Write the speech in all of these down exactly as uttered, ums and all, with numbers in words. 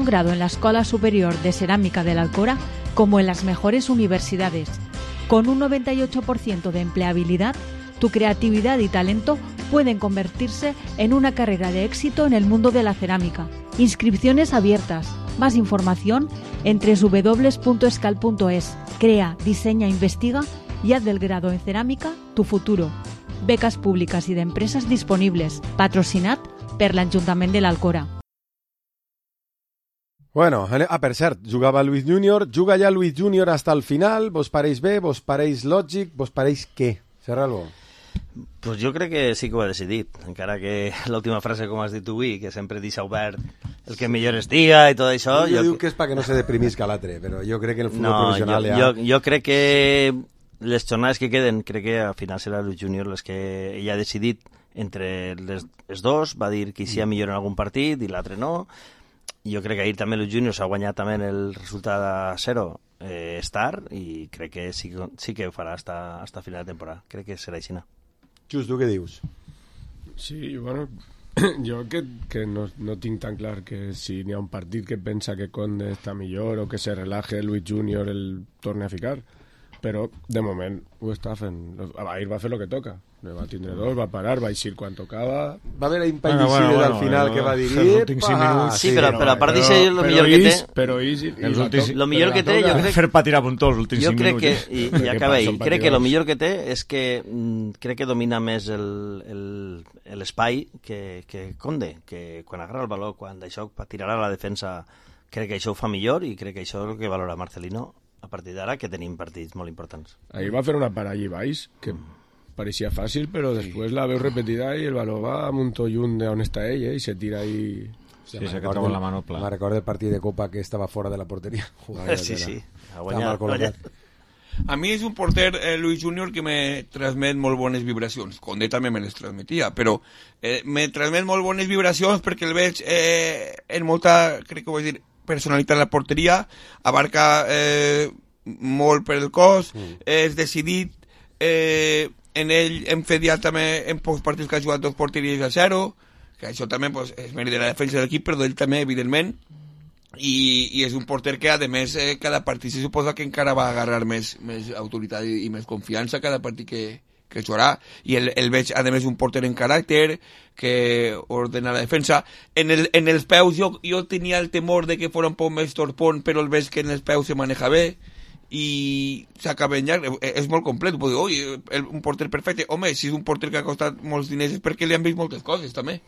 grado en la Escuela Superior de Cerámica de la Alcora como en las mejores universidades. Con un noventa y ocho por ciento de empleabilidad, tu creatividad y talento pueden convertirse en una carrera de éxito en el mundo de la cerámica. Inscripciones abiertas. Más información en doble u doble u doble u punto escal punto es. Crea, diseña, investiga y haz del grado en cerámica tu futuro. Becas públiques i d'empreses disponibles. Patrocinat per l'Ajuntament de l'Alcora. Bueno, ah, per cert, jugava Luis Júnior, juga ja Luis Júnior hasta el final, vos pareix bé, vos pareix lògic, vos pareix què? Serralbo? Pues jo crec que sí que ho ha decidit, encara que l'última frase, com has dit tu avui, que sempre deixa obert el que millor es diga i tot això... Jo, jo dic que és perquè no se deprimisca l'altre, però jo crec que en el futbol no, professional jo, ja... Jo, jo crec que les jornades que queden, crec que al final serà Luis Júnior les que ell ha decidit entre les, els dos, va dir que hi ha millor en algun partit i l'altre no. Jo crec que ahir també Luis Júnior s'ha guanyat també el resultat a zero eh, estar i crec que sí, sí que ho farà hasta, hasta final de temporada. Crec que serà així. Just, tu què dius? Sí, bueno, jo que, que no, no tinc tan clar que si n'hi ha un partit que pensa que Conde està millor o que se relaje Luis Júnior el torne a ficar, però de moment ho està fent. Ahir va fer el que toca, va tindre dos, va parar, va eixir quan tocava, va haver impendicides bueno, bueno, al final bueno, que va dir ah, sí, però, però a part d'això el millor que té però ix, el últims, lo millor que té jo crec fer patir a puntó els últims cinc minuts que, i, i acaba ahí, crec que el millor que té és que mm, crec que domina més l'espai que, que Conde, que quan agarra el valor, quan d'això tirarà a la defensa, crec que això ho fa millor i crec que això és el que valora Marcelino a partir d'ara, que tenim partits molt importants. Ahir va fer una parada allí baix que parecía fácil, pero después la veo repetida y el balón va a un tollún de on està ell, eh, y se tira ahí... Sí, se queda con la manopla. Me recordo el partit de Copa que estava fora de la porteria. Jugava sí, sí. A, guanyar, a mi és un porter, eh, Luis Júnior, que me transmet molt bones vibracions. Conde també me les transmetia, però eh, me transmet molt bones vibracions perquè el veig eh, en molta, crec que ho vaig dir, personalitat en la porteria, abarca eh, molt per el cos, mm. és decidit, eh, en ell hem fet ja també en pocs partits que ha jugat dos porteries a zero, que això també pues, és mèrit de la defensa de l'equip, però d'ell també, evidentment, i, i és un porter que, a més, eh, cada partit se suposa que encara va agarrar més, més autoritat i, i més confiança cada partit que, que jugarà, i el, el veig, a més, un porter en caràcter, que ordena la defensa. En, el, en els peus jo, jo tenia el temor de que fos un poc més torpón, però el veig que en els peus se maneja bé, i s'acaba en llarg, és molt complet. Puc dir, oi, un porter perfecte. Home, si és un porter que ha costat molts diners és perquè li han vist moltes coses, també.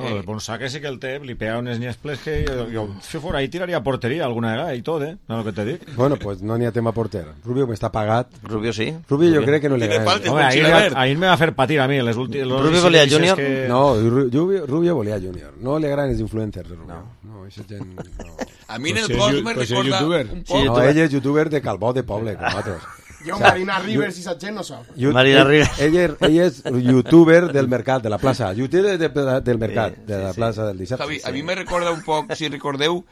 No, el Bonsaque sí que el té, li pega unes nyesples que jo, jo si fora ahí tiraria porteria alguna vegada i tot, eh? No, el que te dic. Bueno, pues no n'hi ha tema porter. Rubio me està pagat. Rubio sí. Rubio jo crec que no li agrada. Home, ahir, ahir me va fer patir a mi. Les últims, Rubio volia Júnior? Que... No, Rubio, Rubio volia Júnior. No li agraden els influencers de Rubio. No, no, això gent... No. A mi en el cos me recorda un poc. No, ell és youtuber de Calbó de Poble, com altres. Jo, Marina Rivers i Satchen no sóc. Marina Rivers. Ell, ell, ell és youtuber del mercat, de la plaça. Youtuber de, de, del mercat, sí, de la sí, plaça sí. del dissabte. Javi, a mi me recorda un poc, si recordeu,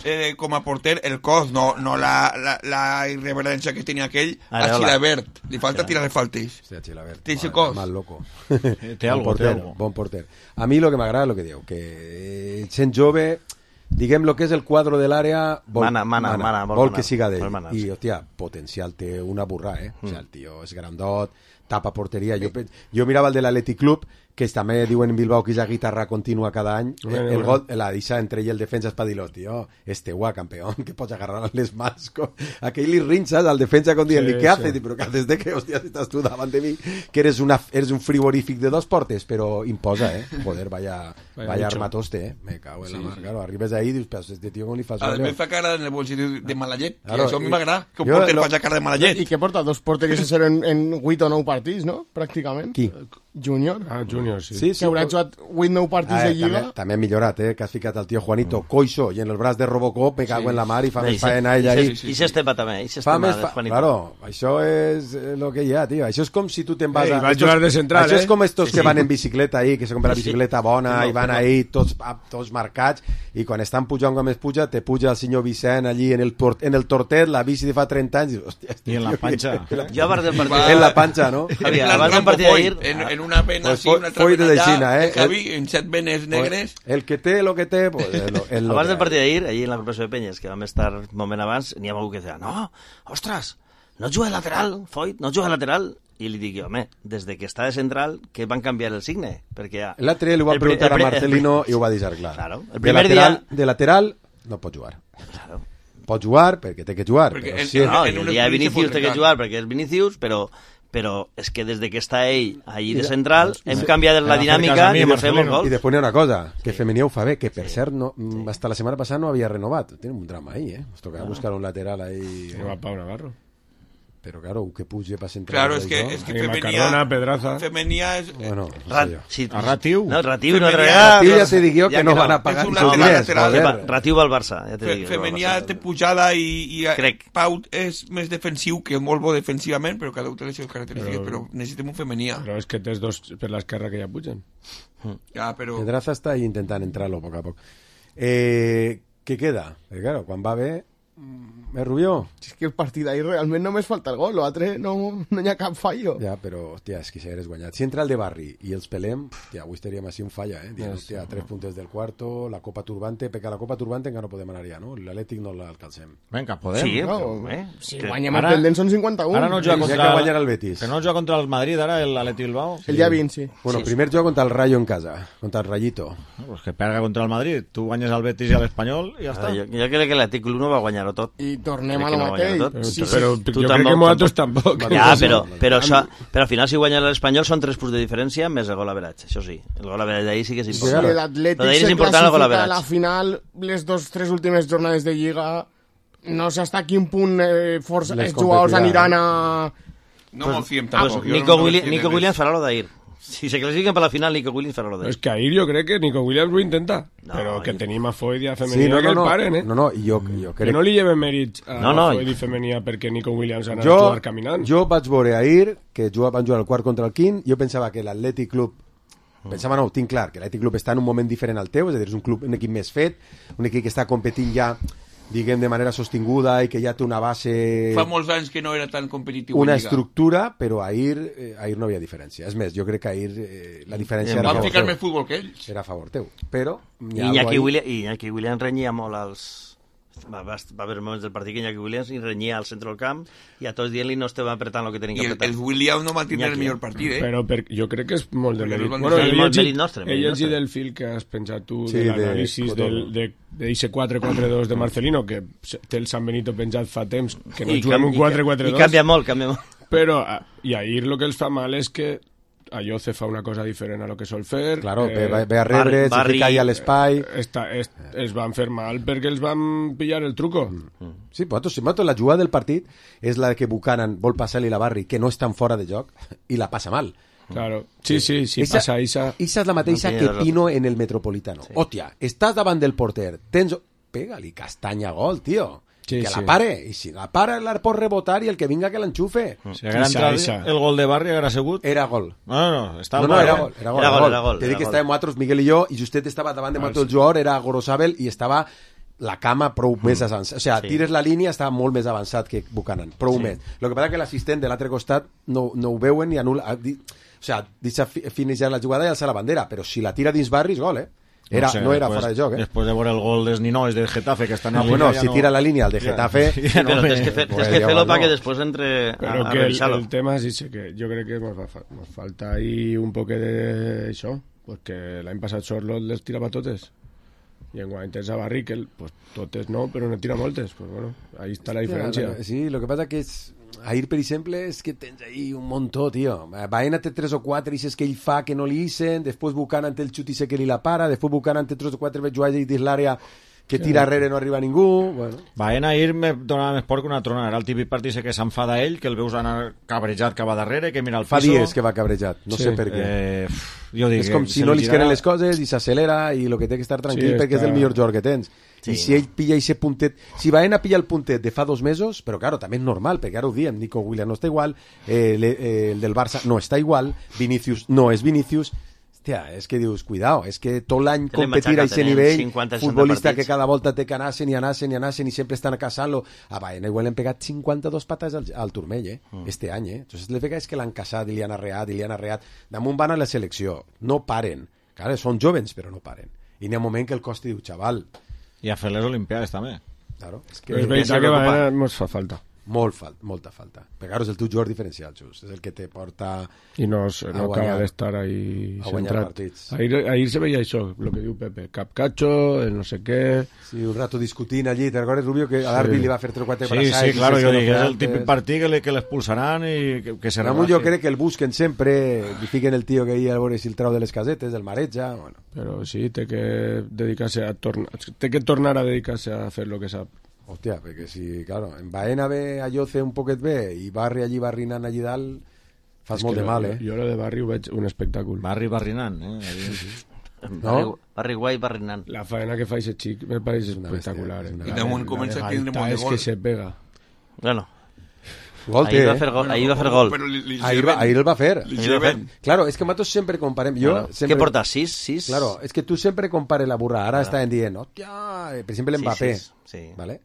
eh, com a porter, el cos, no, no la, la, la irreverència que tenia aquell, a Xilabert. Li falta tirar les faltes. Hòstia, Xilabert. Té ese cos. Mal loco. Té algo, bon porter, té algo. Bon porter. A mi lo que m'agrada és lo que diu, que sent jove... Diguem lo que és el quadre de l'àrea vol, mana, mana, mana, mana, vol, vol que siga d'ell mana, i, hòstia, potencial té una burra, eh? Mm. O sigui, el tio és grandot, tapa porteria. Jo, jo mirava el de l'Atlètic Club, que també diuen en Bilbao que és la guitarra contínua cada any. Bueno, el bueno. gol, la deixa entre ell i el defensa és per dir-lo, tio, este guà, campeón, que pots agarrar les mans. Con... Aquell li rinxes al defensa con dient-li, sí, què haces? Sí. Però què haces de que, hòstia, estàs tu davant de mi, que eres, una, eres un frigorífic de dos portes, però imposa, eh? Joder, vaya, vaya, vaya armatoste, eh? Me cago en sí, la mar. Sí. Claro, arribes ahí i dius, però este tio com li fas... A més fa cara en el bolsillo de Malallet, claro, això a mi m'agrada, que un porter lo... faci cara de Malallet. I que porta dos porteries a ser en, en vuit o nou partits, no? Pràcticament. Qui? Júnior. Ah, Júnior, sí. Sí, sí. Que haurà jugat vuit nou partits ah, de Lliga. També, també ha millorat, eh? Que has ficat el tio Juanito mm. Coixo i en el braç de Robocop me cago sí. en la mar i fa I més faena ella ahí. I s'estepa també, i s'estepa de fa... Claro, això és el que hi ha, tio. Això és com si tu te'n vas a... Ei, va jugar de central, això eh? és com estos sí, que van en bicicleta ahí, que se compra la bicicleta bona sí, no, i van no. ahí tots, tots marcats i quan estan pujant com es puja, te puja el senyor Vicent allí en el, port, en el tortet, la bici de fa trenta anys i, hòstia, I en la panxa. Jo abans del partit... En la panxa, no? Javi, abans del partit d'ahir... En, en en una vena Pues sí, una altra foi vena de allà, Xina, eh? el Javi, en set venes negres. El que té lo que té, pues... El, el Abans del partit d'ahir, allí en la Corporació de Penyes, que vam estar un moment abans, n'hi ha algú que deia, no, ostres, no juga de lateral, Foyt, no juga de lateral. I li dic jo, home, des de que està de central, que van canviar el signe, perquè ja... L'altre li ho va el pri- preguntar el pri- a Marcelino i ho va deixar clar. Claro, el de, primer lateral, dia- de lateral no pot jugar. Claro. Pot jugar perquè té que jugar. Perquè Però en- si No, en i un el dia de espai se Vinícius pot té que trencar. jugar perquè és Vinícius, però però és que des de que està ell allí de central hem canviat la Ara, dinàmica fer cas a mi, i ens fem els Marcelino. I gols. després n'hi ha una cosa, que Femení ho fa bé, que per cert, no, mm, hasta la setmana passada no havia renovat. Tenen un drama ahí, eh? Nos tocava buscar un lateral ahí. No va Pau Navarro. Però, claro, que puge para central. Claro, es que, això. es que Ahí Femenía, Macarrona, Pedraza. Femenía es... Bueno, no Ra sé jo. sí, A Ratiu. No, Ratiu no Femenía- regala. Ratiu ja te dic jo Ja que no que no, van a pagar és un ni sus lateral diners, lateral. joder. Ratiu va al Barça, ja te Fe, dic. Femenía té pujada i, i Crec. Pau és més defensiu, que molt bo defensivament, però cada un té les seves característiques, Però- però, necessitem un Femenía. Però és que tens dos per l'esquerra que ja pugen. Ja, però... Pedraza està ahí intentant entrar-lo a poc a poc. Eh, què queda? Perquè, claro, quan va bé, mm, és Rubió. És que el partit d'ahir realment només falta el gol, l'altre no, no hi ha cap fallo. Ja, però, hòstia, és que si hagués guanyat. Si entra el de Barri i els pelem, hòstia, avui estaríem així un falla, eh? Dient, hòstia, tres puntos del cuarto, la Copa Turbante, perquè a la Copa Turbante encara no podem anar ja, no? L'Atlètic no l'alcancem. Vinga, podem. Sí, No, però, eh? si que- guanyem Ara- el pendent són cinquanta-un. Ara no juga Ja contra... que guanyarà el Betis. Que no juga contra el Madrid, ara, l'Atleti Bilbao. El dia vint, sí. Bueno, Sí, primer joc contra el Rayo en casa, contra el Rayito. No, pues que perga contra el Madrid. Tu guanyes al Betis i a l'Espanyol i ja està. Jo, jo crec que l'Atlètic l'U no va guanyar-ho tot. I tornem Crec a que lo no guanyarà mateix. tot. Però, Sí, però sí. Tu jo crec tampoc, que nosaltres tampoc. Ja, però, però, això, però al final si guanya l'Espanyol són tres punts de diferència més el gol average, això sí. El gol average d'ahir sí que és Si important. claro. l'Atlètic Però d'ahir és se important el gol classifica a la average. final, les dos, tres últimes jornades de Lliga, no sé hasta quin punt eh, força, Les els jugadors competirà, aniran a... No m'ho fiem Pues tampoc. jo Nico, no Willi me fio Nico de res. Williams farà lo d'ahir. Si se classifiquen per la final, Nico Williams farà lo d'ahir. És que ahir jo crec que Nico Williams ho intenta. No, però que i- tenim a Foyt i a Sí, Femenia no, que no, el no, paren, eh? no, no, i jo, jo Que crec... no li lleven mèrits a No, no, Foyt i- i Femenia perquè Nico Williams anava a Jo, jugar caminant. jo vaig veure ahir que juga, van jugar el quart contra el quint, jo pensava que l'Atlètic Club pensava no, ho tinc clar, que l'Atlètic Club està en un moment diferent al teu, és a dir, és un club, un equip més fet, un equip que està competint ja diguem de manera sostinguda i que ja té una base, Fa molts anys que no era tan competitiu una en Lliga. estructura, però ahir, eh, ahir no havia diferència. És més, jo crec que ahir eh, la diferència era a Van favor ficar teu. més futbol que ells. Era a favor teu. Però hi I ha Iñaki, algo ahí- Williams, i Iñaki Williams renyia molt als... Va, va, va haver moments del partit que Iñaki Williams i renyia al centre del camp i a tots dient-li no estem apretant el que tenim I que el, apretar. el Williams no va tindre el Iñaki. millor partit, eh? Però per, jo crec que és molt de Perquè mèrit. no van Bueno, deixar- he molt llegit, mèrit nostre, he mèrit llegit nostre. del fil que has penjat tu Sí, de de l'anàlisi Cotonou. del, de, de ese quatre quatre dos de Marcelino, que se- té el San Benito penjat fa temps, que no I juguem canvi- un quatre quatre I dos. canvia molt, canvia molt. Però, ah, i ahir el que els fa mal és que Ayoce fa una cosa diferent a lo que sol fer. Claro, eh, ve, ve- ve a rebre, Barri- se fica ahí a l'espai... Està, es, es van fer mal perquè els van pillar el truco. Sí, però si nosaltres la jugada del partit és la que Buchanan vol passar-li la Barri, que no estan fora de joc, i la passa mal. Claro. Sí, sí, sí, Esa- passa Isa. Esa és la mateixa No que tiene Pino en el Metropolitano. Sí. Hòstia, estàs davant del porter, tens... Pega-li castanya gol, tio. Sí, que sí. la pare. I si la para, la pot rebotar i el que vinga que l'enxufe. Si haguera Isa, entrat Isa. el gol de Barri, haguera sigut... Era gol. No, no, estava No, no, mal, era eh? gol, era gol. Era gol, era gol, Te era dic que gol. estàvem nosaltres, Miguel i jo, i justet estava davant de nosaltres el jugador, era Gorosabel, i estava la cama prou mm. més avançat. O sigui, Sí. tires la línia, estava molt més avançat que Buchanan, prou sí. més. El que passa que l'assistent de l'altre costat no, no ho veuen ni anul·la... ha dit- O sigui, deixa fi- finalitzar la jugada i alça la bandera, però si la tira dins Barri és gol, eh? Era, no, sé, no era después- fora de joc, eh? Després de veure el gol dels ninois del Getafe, que estan Ah, en bueno, Liga, ja si no- tira la línia al de Getafe... Ja no Però me- tens que, fer, Pues tens que ja fer-lo va, perquè no. després entre a, Però a que el, revisar-lo. el tema és ese, que jo crec que nos, va, fa- nos falta ahí un poc d'això, perquè l'any passat Sorlot les tirava totes i enguany tens a Barri que el, pues, totes no, però no tira moltes, pues bueno, ahí està la diferència. Sí, lo que pasa que és... Ahir, per exemple, és que tens ahí un muntó, tio. Baena té tres o quatre ixes que ell fa que no li ixen, després Buchanan té el xut i sé que li la para, després Buchanan té tres o quatre jugades dins l'àrea que tira darrere no arriba ningú, bueno... Baena ahir me donava més por que una tronada. Era el típic partit que s'enfada ell, que el veus anar cabrejat cap a darrere, que mira el Fa piso... dies que va cabrejat, no Sí. sé per què. Eh, pff, jo dic, És com que si se no li li girarà- queden les coses i s'accelera i el que té que estar tranquil Sí, perquè és està- el millor jugador que tens. Sí, I si ell pilla ese puntet... Si Baena pilla el puntet de fa dos mesos, però claro, també és normal, perquè ara ho diem, Nico Williams no està igual, eh, le, eh, el del Barça no està igual, Vinicius no és Vinicius, Hòstia, és que dius, cuidao, és que tot l'any Tenen competir a matxaca, aquest tenen nivell, cinquanta, seixanta futbolista partits. que cada volta té que anassen i anassen i anassen i sempre estan caçant-lo. A Baena igual li han pegat cinquanta-dos patas al, al turmell, eh? Mm. Este any, eh? Entonces les vegas que l'han caçat i li han arreat i li han arreat. Damunt van a la selecció, no paren. Clar, són jovens, però no paren. I n'hi ha un moment que el costi diu, xaval, I a fer les Olimpiades també. claro, és que Però és veritat que Baena mos fa falta. molt fal molta falta. Però claro, és el teu jugador diferencial, Xus. És el que te porta... I no, es- A no guanyar. acaba d'estar ahí A guanyar centrat. partits. Ahir, ahir se veia això, el que diu Pepe. Capcacho, el no sé què... Sí, un rato discutint allí. Te recordes, Rubio, que a Darby Sí. li va fer tres o quatre Sí, braçades? sí, claro, i jo se dic, és el antes. típic partit que, li- que l'expulsaran i que, que se Ramon, jo relaje. crec que el busquen sempre, li fiquen el tio que hi a veure si el trau de les casetes, el mareja, bueno. Però sí, té que dedicar-se a tornar... Té que tornar a dedicar-se a fer el que sap. Hòstia, perquè si, claro, en Baena ve a Lloce un poquet bé i Barri allí barrinant allí dalt, fas És molt que de mal, eh? Jo, jo lo de Barri ho veig un espectacle. Barri barrinant, eh? Barri, Barri Guai, Barri Nan. La faena que fa ese xic me pareix una espectacular. bèstia, és eh? una I bèstia. damunt comença a tindre molt de és gol. que se pega. Bueno, Gol té, ahir va eh? fer gol. Ahir va fer gol. Però li, li Ahir, va, ahir el va fer. Li Ahir va lleven. Claro, és que nosaltres sempre comparem... Jo Bueno, sempre... Què porta? sis? sis? Claro, és que tu sempre compares la burra. Ara estan dient, hòstia, eh, per exemple, Sí, Mbappé. sí, sí. ¿Vale?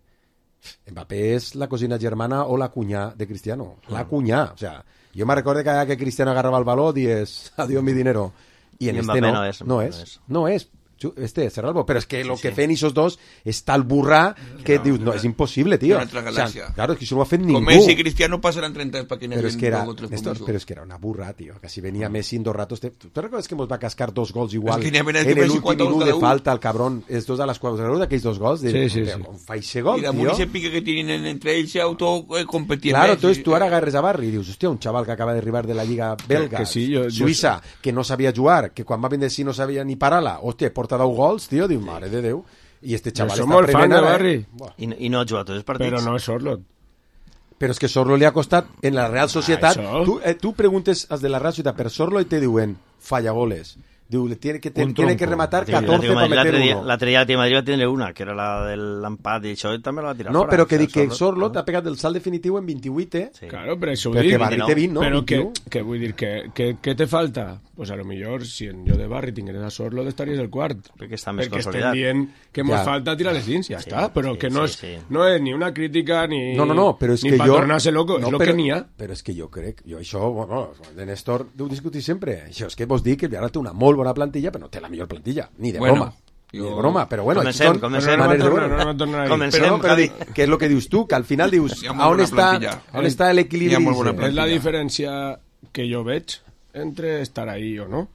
Mbappé és la cosina germana o la cunyà de Cristiano. La cunyà. O sea, jo me recordo que cada que Cristiano agarraba el baló dies, adiós mi dinero. I en I este Mbappé no. no és, No Mbappé és. no No és. Chu- Este, Serralbo. Pero es que lo que fen esos dos és tal burra que dius, no, és impossible, tío. Una altra galàxia. claro, es que això no ho ha fet ningú. Com Messi i Cristiano pasaran treinta para que Pero es que era, dos o tres Néstor, puntos. pero es que era una burra, tío. Casi venía Messi en dos ratos. ¿Te, ¿Tú te recuerdas que nos va a cascar dos gols igual? Es que n'hi havia en de el Messi últim quatre gols minut cada de un. falta, el cabrón. Estos a las cuatro. ¿Te recuerdas aquells dos gols? De, Sí, sí, hòstia, sí. com fa ese gol, I damunt tío? ese pique que tienen entre ells se autocompetien. Claro, entonces tú ahora agarres a Barri y dius, hostia, un chaval que acaba de arribar de la Liga belga, que sí, jo- jo Suïssa, que no sabia jugar, que quan va vindre sí no sabia ni parar-la, hòstia, porta deu gols, tío, diu, mare de Déu. I este Jo chaval soc està molt fan prenent de ara, Barri. eh? Buah. I, I no ha jugat tots els partits. Però no és Sorlot. Però és que Sorlo li ha costat en la Real Societat. això. Tu, eh, tu preguntes als de la Real Societat per Sorlo i te diuen falla goles. Diu, le tiene que, te, Un tiene que trompo. rematar Sí, catorce para meter l'altre dia, uno. l'altre dia el Madrid va tindre una, que era la de l'empat, i això també la va tirar No, fora. però que O sigui, dic que Sorlo- Sorlo t'ha pegat el salt definitiu en vint-i-vuit, eh? Sí. Claro, però això ho Però dic. que Barri té vint, no? Però que, vint-i-u. que vull dir, que, que, que te falta? Pues a lo millor, si en jo de Barri tingués a Sorlo, estaries el quart. Perquè està més Perquè estem consolidat. dient que mos Ja. falta tirar les dins, ja Sí, està. Però sí, que no, sí, és, sí. no és ni una crítica ni, No, no, no, però és ni que pa jo... tornar-se loco, no, és el però, que n'hi ha. Però és que jo crec, jo això, bueno, de Néstor ho discutir sempre. Això és que vos dic que el Villarreal té una molt bona plantilla, però no té la millor plantilla, ni de Bueno, broma. Ni de jo- broma, però bueno, Comencem, són comencem. Però no maneres de va tornar, veure. no va tornar ahí. Comencem. Però no, però Javi. dic, que és el que dius tu, que al final dius, Hi ha molt a on bona està, plantilla. on està l'equilibri? Hi ha molt bona dice? És la plantilla. diferència que jo veig entre estar ahí o no.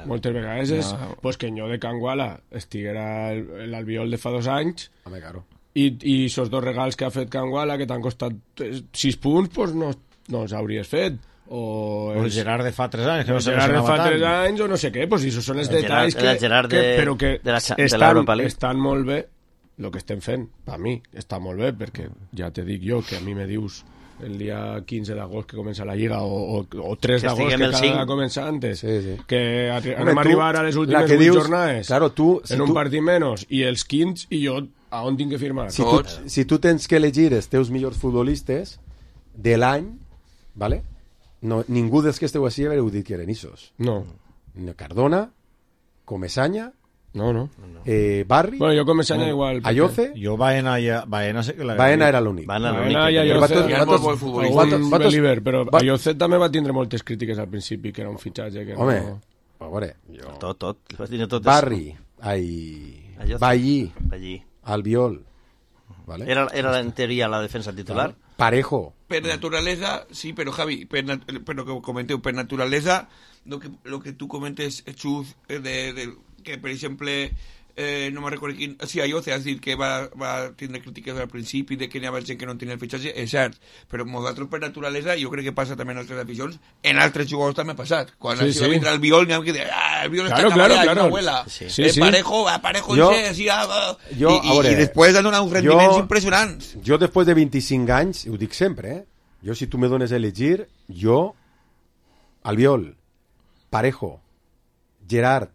Moltes vegades és pues, que en jo de Can Guala estiguera el- l'Albiol de fa dos anys Home, claro. i, i esos dos regals que ha fet Can Guala que t'han costat eh, sis punts pues no, no els hauries fet o O el Gerard de fa tres anys, que no el se Gerard de lesionava fa tres tant. anys o no sé què, pues això són els El detalls Gerard- el que, Gerard que, de- però que de la cha- de estan, l'Europa League. estan molt bé el que estem fent, per mi està molt bé perquè ja te dic jo que a mi me dius el dia quinze d'agost que comença la Lliga o, o, o tres Que d'agost estiguem que el cada cinc. vegada comença antes Sí, sí. que arri Home, anem a tu, arribar a les la últimes que vuit dius, jornades claro, tu, si en un tu- partit menys i els quinze i jo a on tinc que firmar? Si tu, Tots. si tu tens que elegir els teus millors futbolistes de l'any, ¿vale? No, ningú dels que esteu així haureu dit que eren issos. No, Cardona, Comesaña, no, no. eh, Barri, Bueno, jo començant igual. perquè- Ayoce, Jo Baena, ja, Baena sé que la... Baena era l'únic. Van a Baena l'únic. i que- Ayoce. Però Ayoce- vosaltres- Hi ha molt bon vosaltres- futbolista. Algun vosaltres- vosaltres- Believer, però va- Ayoce també va tindre moltes crítiques al principi, que era un fitxatge que Home, no... a veure, jo... Tot, tot. Les vas tindre totes. Barri, ai, Ayoce. Ballí, Allí. Albiol, ¿vale? Era, era en teoria la defensa titular. Parejo, Per naturalesa, sí, però Javi, per nat però que comenteu, per naturalesa, lo que, lo que tu comentes, Xus, eh, de, de, que per exemple, eh, no me'n recordo quin... Sí, Ayoce has dit que va, va tindre crítiques al principi de que n'hi havia gent que no tenia el fitxatge, és cert, però nosaltres per naturalesa, jo crec que passa també en altres aficions, en altres jugadors també ha passat. Quan Sí, sí, sí. sí. vindre el Biol, n'hi ha que dir, ah, el Biol Claro, està claro, caballat, claro. una abuela. Sí. Sí, eh, sí. Parejo, a Parejo, Jo- ese, sí, ah, ah. jo, I, a i, veure, i després han donat uns rendiments jo- impressionants. jo després de vint-i-cinc anys, ho dic sempre, eh? Jo si tu me dones a elegir, jo, Albiol, Parejo, Gerard,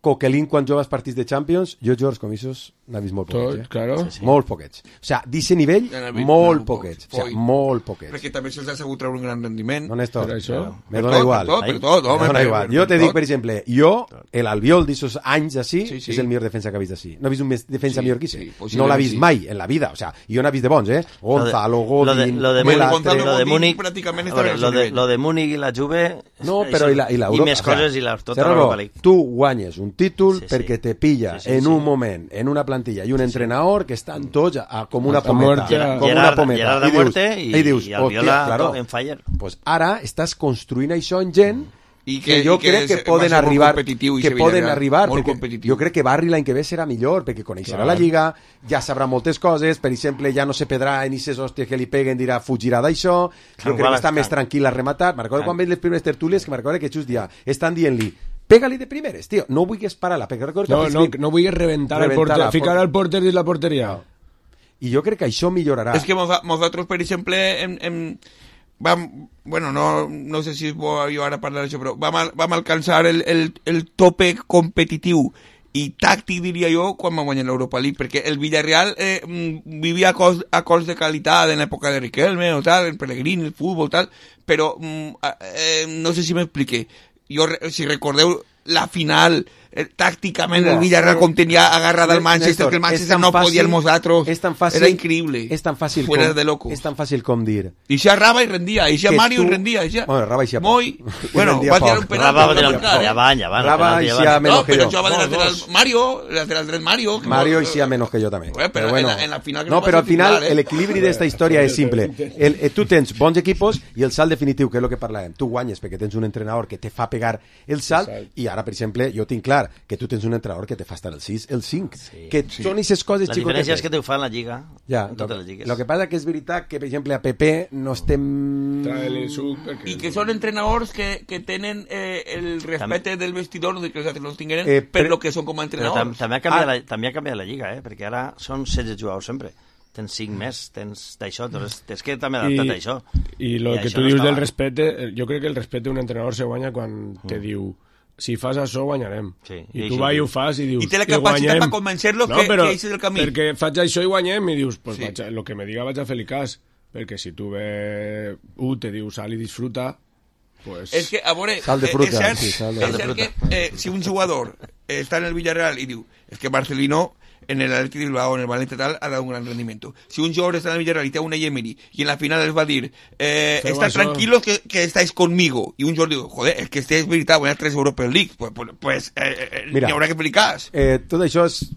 Coquelin quan jugues partits de Champions, jo jugadors com aquests n'ha vist molt poquets, eh? Claro. Sí, sí. Molt poquets. O sigui, d'aquest nivell, Ja n'ha vist molt molt poquets. pocs. O sigui, molt poquets. Perquè també se'ls ha sabut treure un gran rendiment. No, Néstor, Per això. me Per dona tot, igual. Per tot, per tot, home, Me dona per- igual. per Jo te tot. dic, per exemple, jo, l'Albiol d'aquests anys així, Sí, sí. és el millor defensa que ha vist així. No he vist un més defensa Sí, millor que sí, ese. posiblement No l'ha vist sí. mai en la vida. O sea, jo n'he vist de bons, eh? Gonzalo, lo de, Godín, lo de, Melastre. Gonzalo lo de Godín Múnich, pràcticament a està veure, al lo seu de, nivell. lo de Múnich i la Juve... No, això- però i la, i l'Europa... I més coses i la, tota Serrano, l'Europa League. tu guanyes un títol Sí, sí. perquè te pilla Sí, sí, en sí. un moment, en una plantilla i un entrenador que estan tots a, a, com una Hasta pometa. muerte. Com una Gerard, pometa. Gerard I de dius- muerte i, i dius, i el Viola hòstia, claro, en fire. pues ara estàs construint això en gent I que, jo i crec que va poden ser molt arribar competitiu i que Sevilla poden Real, arribar molt perquè competitiu. jo crec que Barri l'any que ve serà millor perquè coneixerà la Lliga, ja sabrà moltes coses, per exemple ja no se pedrà en aquestes hòsties que li peguen, dirà fugirà d'això, jo crec que està més tranquil a rematar. Me'n recordo quan veig les primeres tertúlies que me'n recordo que just dia estan dient-li pega-li de primeres, tio, no vulguis parar-la perquè recordo que No, al no, principi- no vull reventar el Reventar porter, la ficar por- al porter dins la porteria. i jo crec que això millorarà. És que mos- nosaltres, per exemple, hem, hem, vam, bueno, no, no sé si és bo jo ara parlar d'això, però vam, al- vam alcançar el, el, el tope competitiu i tàctic, diria jo, quan vam guanyar l'Europa League, perquè el Villarreal eh, mm, vivia a cos, a cos de qualitat en l'època de Riquelme o tal, en Pellegrini, el futbol, tal, però mm, eh, no sé si m'expliqué. Jo, re- si recordeu la final, eh, tàcticament Mira, el Villarreal eh, com tenia agarrada el Manchester, Néstor, que el és Manchester tan no fàcil- podia els nosaltres, és tan fàcil, era increïble. És tan fàcil Fuera com, de locos. és tan fàcil com dir I ja Raba i rendia, i ja que Mario tu- i rendia, i ja... Bueno, Raba i ja poc. Moi... I Bueno, rendia va tirar poc. un penal. Raba va però tirar no un marcar, ja eh? van, ja van. Raba penalti, i ja ja van. menos No, que però jo. això va de Dos, lateral dos. Mario, lateral dret Mario. que Mario no- y sí a menos que yo también. Bueno, pero bueno, en la- en la final que no, no va pero ser al final titular, ¿eh? el equilibri d'esta història és simple. El, eh, tu tens bons equipos i el salt definitiu, que és el que parlàvem. Tu guanyes perquè tens un entrenador que te fa pegar el salt i ara, per exemple, jo tinc clar que tu tens un entrenador que te fa estar el sis, el cinc, que són aquestes coses La xicotetes. diferència és que te ho fa en la Lliga. Ja, en lo, totes les lligues. lo que passa que és veritat que, per exemple, a Pepe no estem... Trae l'insult perquè... I que són entrenadors que, que tenen eh, el respecte del vestidor de que els altres no els tingueren Eh, per però- lo que són com a Però tam entrenadors. també, ha canviat Ah. la, també ha canviat la Lliga, eh? Perquè ara són setze jugadors sempre. Tens cinc més, tens d'això, doncs tens que també adaptar a això. I lo I que això tu no dius estava. del respecte, jo crec que el respecte d'un entrenador se guanya quan te diu si fas això guanyarem. Sí, I, i tu això vas i diu. ho fas i dius I té la "I capacitat guanyem". per convencer-los no, que- però que aquest és el camí. perquè faig això i guanyem i dius, pues Sí. vaig a, lo que me diga vaig a fer-li cas. Perquè si tu ve u te diu sal i disfruta, pues... És que, a veure, Sal de eh, fruta, és cert, sí, sal de és cert que eh, si un jugador eh, està en el Villarreal i diu és que Marcelino en el Athletic Bilbao, en el Valencia tal, ha dado un gran rendimiento. Si un jugador está en el Villarreal y te da una Emery y en la final les va a decir, eh, Feu están això. tranquilos que, que estáis conmigo. Y un jugador digo, joder, es que este es veritat, voy a tres European League. Pues, pues, pues eh, eh, Mira. n'hi haurà que explicar. Eh, tot això és...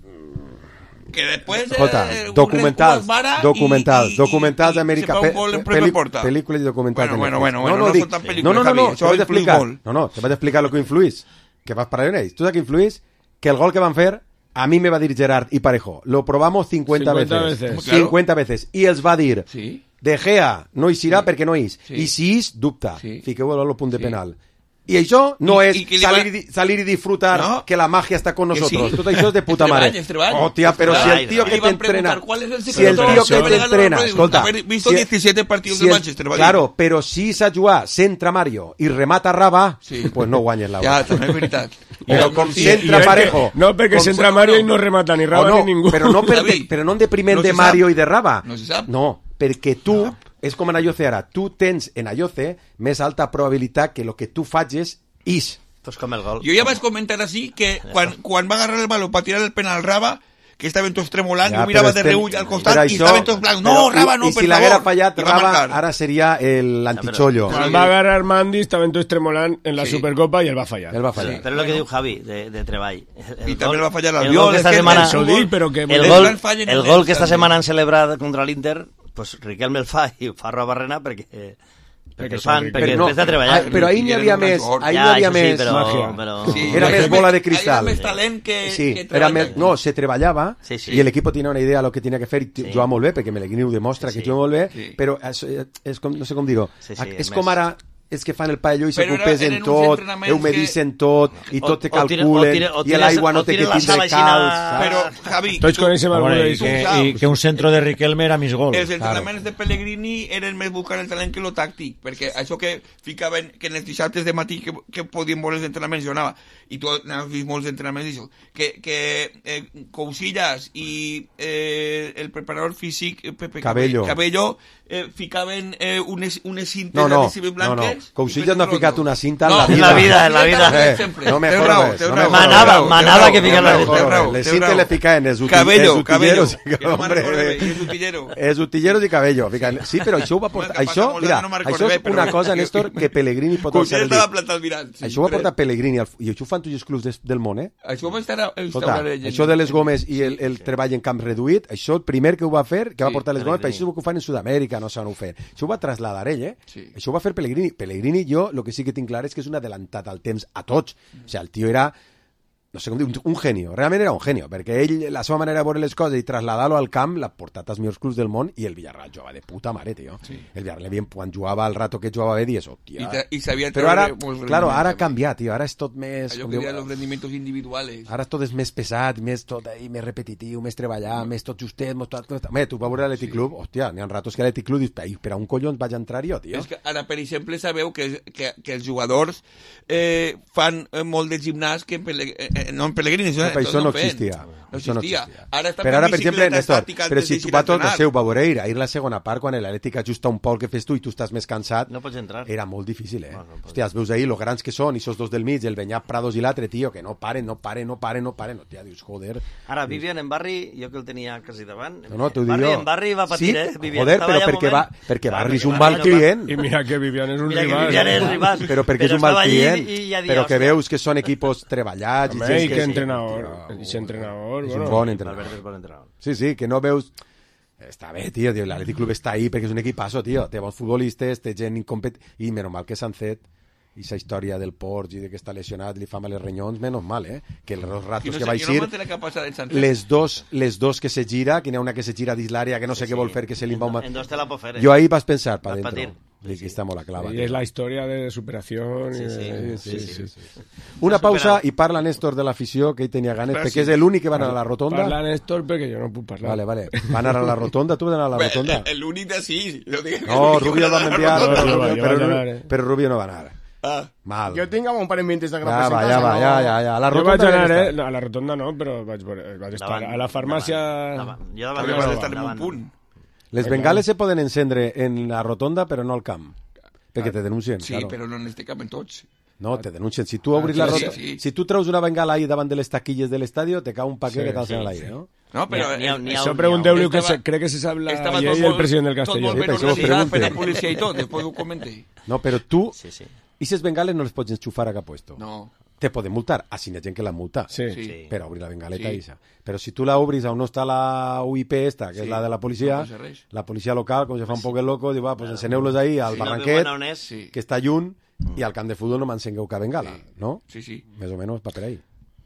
Que después... Escolta, eh, un documentals, Red Bull es vara documentals, y- y- documentals y d'Amèrica, se fa un gol en propia porta. pel·lícules i documentals Bueno, de bueno, Netflix. bueno, bueno, no dic- són tan no, pel·lícules, no, no, no, Javi, te això vaig a influïx explicar, molt. no, no, te vaig a explicar lo que influís, que vas parlar en ells. Tu saps que influís? Que el gol que van fer, a mi me va dir Gerard i Parejo, lo probamos cincuenta veces, veces. Claro. cincuenta veces, i els va dir, Sí. De Gea no hi serà perquè no hi és, Sí. i si és, dubta, Sí. fiqueu-lo al punt de Sí. penal. I això no I- és i que li salir, va- i di- salir i disfrutar No. que la magia està con Que nosotros. sí. Tot això és de puta És mare. treball, és treball. Hòstia, però És si treball. el tío Y que le van a t'entrena... preguntar, ¿cuál es el Si el secreto tío para que ganar la t'entrena... Europa? Escolta... Haber visto si- diecisiete partidos si del el- Manchester, va dir. Claro, però si s'ha jugat centra Mario i remata Raba, Sí. pues no guanyes la Ja, Europa. també és veritat. Però I- com sí, centra i- Parejo... No, perquè com- s'entra Mario i no remata ni o Raba no, ni ningú. però no, per, Javi, però no en depriment no de se Mario sap. i de Raba. No se sap. No, perquè tu, és com en Ayoce ara, tu tens en Ayoce més alta probabilitat que el que tu facis és. Esto es com el gol. Jo ja vaig comentar així que quan, quan va agarrar el baló per tirar el penal Raba, que estaven tots tremolant, Ja, jo mirava però de estem- reull al per costat i això- estaven tots blancs. No, però- Raba, i- no, i per si l'haguera favor. fallat I va Raba, marcar. ara seria el antichollo. Quan va agarrar Mandy estaven tots tremolant en la Sí. Supercopa i el va fallar. El va fallar. Però és el que diu Javi, de, de treball. El I també el va fallar el l'Albiol. gol que és esta que setmana... el Això dic, però que... El Els gol, grans fallen el en gol ells, que esta també. setmana han celebrat contra l'Inter, pues Riquelme el fa i ho fa Roa Barrena perquè, perquè, el fan, són perquè Però no, després de treballar. ah, però ahir n'hi havia Era un més, jugador. ahir ja, n'hi havia això sí, més... però, màgia. però... Sí. Era Hi més ha bola de hi cristal. ha més talent que, Sí, que era treball. més, no, se treballava Sí, sí. i l'equip tenia una idea de lo que tenia que fer i Sí. jugava molt bé, perquè Pellegrini ho demostra Sí, que sí. juga molt bé, Sí. però és, és com, no sé com dir-ho, Sí, sí, és més. com ara és que fan el pavelló i Però s'ocupesen eren uns tot, entrenaments humedicen tot, i O- tot te o tire- calculen, o tire- o i tires- l'aigua no o té que tires la tindre sala calç. aixina- saps? Però, Javi, Tots tu- coneixem A algú veure, de i, que, això. i que un centro de Riquelme era mis gol. els entrenaments de Pellegrini eren més buscar el talent que lo tàctic, perquè això que ficaven, que en els dissabtes de matí que, que podien veure els entrenaments, jo anava, i tu anaves vist molts entrenaments, i això, que, que eh, Cousillas i eh, el preparador físic eh, Pepe Cabello. Cabello eh, ficaven eh, unes, unes cintes No, no, adhesives no, no. blanques. Cousillas no ha ficat una cinta en No, la en la vida, en la vida. Eh, Sempre. no me Té jodes, raó, no té me raó, jodes. Manava- té raó, manava té que raó, ficar té la raó, cinta. té raó, Les té cintes raó. le ficaven els uti- Cabello, els Cabello. utilleros. Que no Hombre, m'acordo bé, eh, és utillero. Els utilleros i Cabello. Ficaven. Sí, però això ho va portar... Que passa Això, molt mira, anys, no me'n això recordo és bé, però- una cosa, Néstor, que Pellegrini pot Cousillas alçar el estava dit. plantat mirant. Això ho va portar Pellegrini, al- i això ho fan tots els clubs des- del món, eh? Això va estar a Escolta, això de les gomes i el, el treball en camp reduït, això el primer que ho va fer, que va Sí, portar les gomes, però Pellegrini. això és el que ho fan en Sud-amèrica, no saben ho fer. Això ho va trasladar ell, eh? Sí. Això ho va fer Pellegrini. Pellegrini, jo, el que sí que tinc clar és que és un adelantat al temps a tots. O sigui, el tio era, no sé com dir, un, un genio. Realment era un genio, perquè ell, la seva manera de veure les coses i traslladar-lo al camp, l'ha portat als millors clubs del món, i el Villarreal jugava de puta mare, tio. Sí. El Villarreal, quan jugava al rato que jugava bé, dies, hòstia... I, te- i sabia Però ara, treure molts claro, ara ha rendiments, canviat, tio. Ara és tot més... allò com que diu- diuen los rendimientos individuales. Ara tot és més pesat, més tot ahí, més repetitiu, més treballar, més tot justet, més tot... tot... Home, tu vas veure l'Atlètic Club, hòstia, n'hi ha ratos que l'Atlètic Club dius, "Ai, per a un collons vaig entrar jo, tio. És que ara, per exemple, sabeu que, que, que els jugadors eh, fan eh, molt de gimnàs que en Pele, eh, no en Pellegrini, això, No, però això no feien. existia. No Això no existia. existia. Ara està Però ara, per exemple, Néstor, estàtica però antes si de tu ir va a tot el entrenar. seu, va veure ahir, ahir la segona part, quan l'Atlètic ajusta un poc que fes tu i tu estàs més cansat, No pots entrar. era molt difícil, eh? No, no pots. Hòstia, els veus ahir, los grans que són, i esos dos del mig, el Beñat Prados i l'altre, tio, que no paren, no paren, no paren, no paren, hòstia, dius, joder... Ara, Vivian en Barri, jo que el tenia quasi davant... No, no, t'ho dic Barri, jo. En Barri va patir, sí, eh? Vivian joder, estava però allà un perquè, moment. va, perquè Clar, Barri és perquè un mal Barri no va- client. I mira que Vivian és un Mira que rival. Vivian és rival. Però perquè és un estava mal allí client. i ja dia, Però que hòstia. veus que són equipos treballats. Home, gent i que que sí, entrenador. tio, I ese entrenador, és bueno. un bon entrenador. Valverde és bon entrenador. Sí, sí, que no veus... Està bé, tio, tio l'Atlètic Club està ahí perquè és un equipazo, tio. Té bons futbolistes, té gent incompet... I menys mal que s'han fet i esa història del Ports i de que està lesionat, li fa mal els renyons, menys mal, eh? Que els Qui ratos no que sé, va qui no eixir, manté la capacitat del Santos. les dos, les dos que se gira, que n'hi ha una que se gira dins l'àrea, que no sé què vol fer, que se li va... un- En dos te la pot fer, eh? Jo ahí vas pensar, pa Vas dentro. patir. Sí, que està molt a clava. Y es la historia de superación. Sí, y sí, de- sí, sí, sí. Una S'ha pausa superat. i parla Néstor de l'afició, que ell tenia ganes, Gràcies. perquè és l'únic que va anar a la rotonda. Parla Néstor, perquè jo no puc parlar. Vale, vale. Va anar a la rotonda, tu vas anar a la Bé, rotonda? el- L'únic de sí. Jo dic, No, l'únic que Rubio el va van anar a la enviar, rotonda. No, no, però, jo però, vaig anar, eh. però Rubio no va anar. Ah, Mal. Jo tinc un parell de minuts de Ja va, representació. ja va, ja, ja, ja. A la Jo rotonda vaig anar, ja eh? està. No, a la rotonda no, però vaig, veure- vaig estar Davant, a la farmàcia... davant, davant. Jo davant també no, vas davant, estar en un davant. punt. Les bengales se poden encendre en la rotonda, però no al camp. Perquè te denuncien, Sí, claro. però no en este cap en tots. No, te denuncien. Si tu obris sí, la sí, rotonda... sí. Si tu treus una bengala ahí davant de les taquilles de l'estadio, te cau un paquet Sí, que t'alcen sí, a l'aire, no? No, però... N'hi ha- n'hi ha- Això n'hi ha- pregunteu-li que Estava- se, crec que se sap la Estava llei tot i el molt- president del Tot Castelló. molt ben per això ho organitzat per la pregunte. policia i tot, després ho comenté. No, però tu... Sí, sí. I les bengales no les pots enxufar a cap puesto. No. Te poden multar. Ah, si n'hi ha gent que la multa. Sí. Sí. Sí. Per obrir la bengaleta Sí. isa. Però si tu la obris on no està la U I P esta, que Sí, és la de la policia, no passa res. la policia local, com se fa un poc el loco, diu, va, pues enceneu-los ahí al Si no barranquet, veuen on és, Sí. que està lluny, i al camp de futbol no m'encengueu cap bengala, no? Sí, sí. Més o menys va per ahí.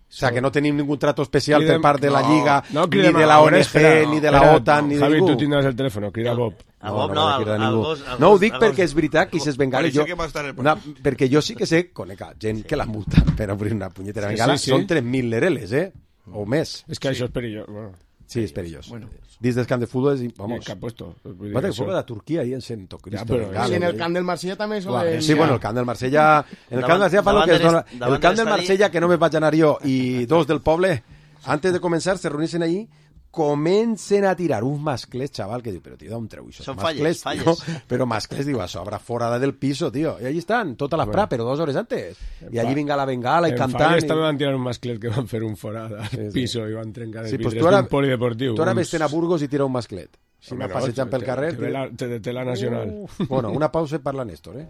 O sea, que no tenim ningún trato especial Cridem- per part de la no, Lliga, no, ni cridem de la a- O N G, espera, ni de la espera, OTAN, ni de Javi, ningú. tu tindràs el telèfon, crida Bob. A No, Bob no, no, no, al, cridar al ningú. gos... al No ho gos- dic al perquè gos- és veritat que ses bengales... Pareixia Jo, que va estar el una, perquè jo sí que sé, conec gent que la multa per obrir una punyetera Sí, bengala, sí, sí. són tres mil lereles, eh? O més. És que això és perillós. Bueno, Sí, és perillós. Bueno. Dins del camp de futbol és... I Vamos. què ha puesto? Vull dir Va que que això- fue de Turquia ahí en Sento Cristo. Ja, però- Bengala, I en el eh? camp del Marsella també Clar, solen... sí, bueno, el camp del Marsella... En el camp del Marsella fa el davant que es de dona... l'est- davant El camp de del l'estadi- Marsella, que només vaig anar jo, i dos del poble, antes de començar, se reuneixen allí, comencen a tirar uns mascles, xaval, que diu, però tio, d'on treu això? Són Mascles, falles, tio. falles. Però mascles, diu, a sobre, fora del piso, tio. I allí estan, tota la pra, però dos hores antes. I allí vinga la bengala i En cantant. Falles i- també van tirar un masclet que van fer un forat al sí. piso i van trencar el Sí, pues vidre tu ara, d'un polideportiu. tu ara uns- vés a Burgos i tira un masclet. Si Home, m'ha no, passejant pel te- carrer... te ve la- te deté la nacional. Uf. Bueno, una pausa i parla Néstor, eh?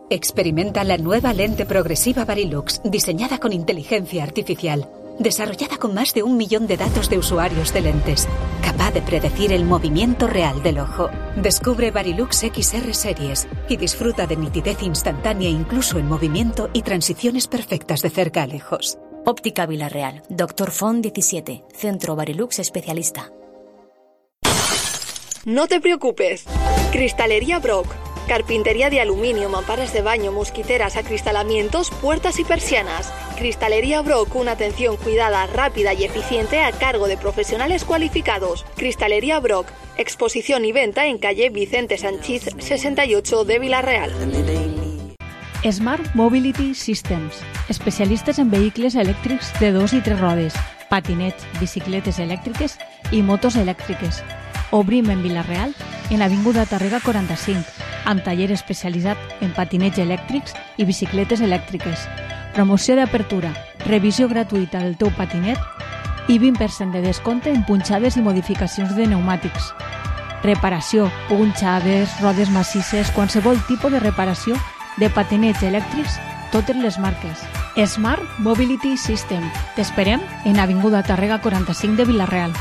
Experimenta la nueva lente progresiva Varilux, diseñada con inteligencia artificial, desarrollada con más de un millón de datos de usuarios de lentes, capaz de predecir el movimiento real del ojo. Descubre Varilux X R Series y disfruta de nitidez instantánea incluso en movimiento y transiciones perfectas de cerca a lejos. Óptica Villarreal. Doctor Font diecisiete. Centro Varilux Especialista. No te preocupes. Cristalería Brock. Carpintería de aluminio, mamparas de baño, mosquiteras, acristalamientos, puertas y persianas. Cristalería Brock, una atención cuidada, rápida y eficiente a cargo de profesionales cualificados. Cristalería Brock, exposición y venta en calle Vicente Sanchís sesenta y ocho de Vila-real. Smart Mobility Systems, especialistes en vehicles elèctrics de dos i tres rodes, patinets, bicicletes elèctriques i motos elèctriques. Obrim en Vila-real, en Avinguda Tàrrega quaranta-cinc, amb taller especialitzat en patinets elèctrics i bicicletes elèctriques. Promoció d'apertura, revisió gratuïta del teu patinet i vint per cent de descompte en punxades i modificacions de pneumàtics. Reparació, punxades, rodes massisses, qualsevol tipus de reparació de patinets elèctrics, totes les marques. Smart Mobility System. T'esperem en Avinguda Tàrrega quaranta-cinc de Vila-real.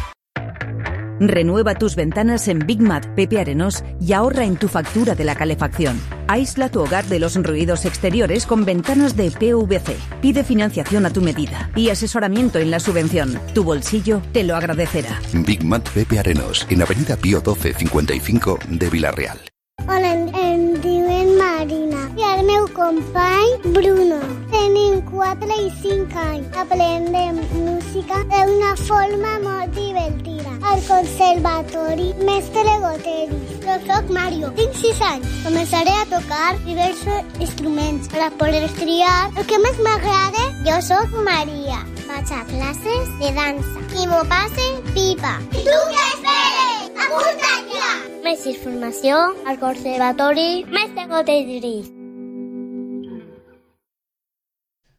Renueva tus ventanas en Big Mat Pepe Arenós y ahorra en tu factura de la calefacción. Aísla tu hogar de los ruidos exteriores con ventanas de P V C. Pide financiación a tu medida y asesoramiento en la subvención. Tu bolsillo te lo agradecerá. Big Mat Pepe Arenós, en Avenida Pío doce cincuenta y cinco de Vila-real. Hola, em diuen Marina i el meu company Bruno. Tenim quatre i cinc anys. Aprendem música d'una forma molt divertida. Al conservatori Mestre Goteris. Jo soc Mario, tinc sis anys. Començaré a tocar diversos instruments per a poder triar el que més m'agrada. Jo soc Maria. Vaig a classes de dansa i m'ho passe pipa. I tu què esperes? Apunta't ja! Més informació al Conservatori Mestre Goteris.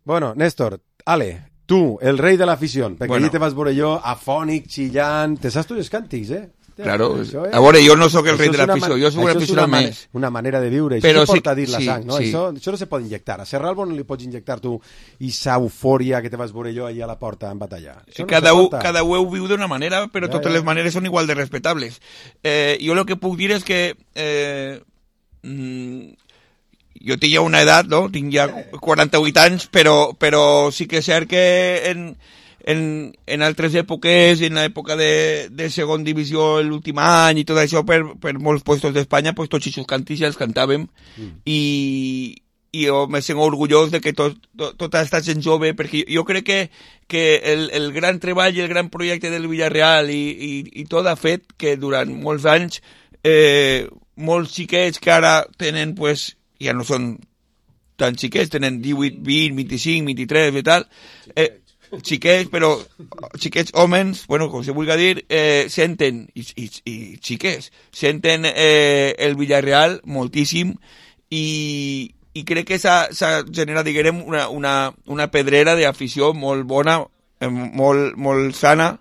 Bueno, Néstor, Ale, tú, el rei de la afición, perquè bueno. Allí te vas veure jo afònic, xillant, te saps tots els càntics, eh? Claro, això, eh? A veure, jo no sóc el rei de l'afició, jo sóc un aficionat més. Una manera de viure, però això sí, porta a dir la sí, sang, no? Sí. Això, això no se pot injectar. A Serralbo no li pots injectar tu i sa eufòria que te vas veure jo allà a la porta en batalla. Això no cada, se u, cada u viu d'una manera, però ja, totes ja. les maneres són igual de respectables. Eh, jo el que puc dir és que eh, mm, jo tinc ja una edat, no? Tinc ja quaranta-vuit anys, però, però sí que és cert que en... En, en altres èpoques, en l'època de, de segon divisió l'últim any i tot això, per, per molts puestos d'Espanya, pues, tots aquests cantits ja els cantàvem mm. i, i jo me sento orgullós de que tot, tot, tota aquesta gent jove, perquè jo crec que, que el, el gran treball i el gran projecte del Villarreal i, i, i tot ha fet que durant molts anys eh, molts xiquets que ara tenen, pues, ja no són tan xiquets, tenen divuit, vint, vint-i-cinc, vint-i-tres i tal, eh, xiquets, però xiquets homes, bueno, com se vulgui dir, eh, senten, i, i, i xiquets, senten eh, el Villarreal moltíssim i, i crec que s'ha generat, diguem, una, una, una pedrera d'afició molt bona, eh, molt, molt sana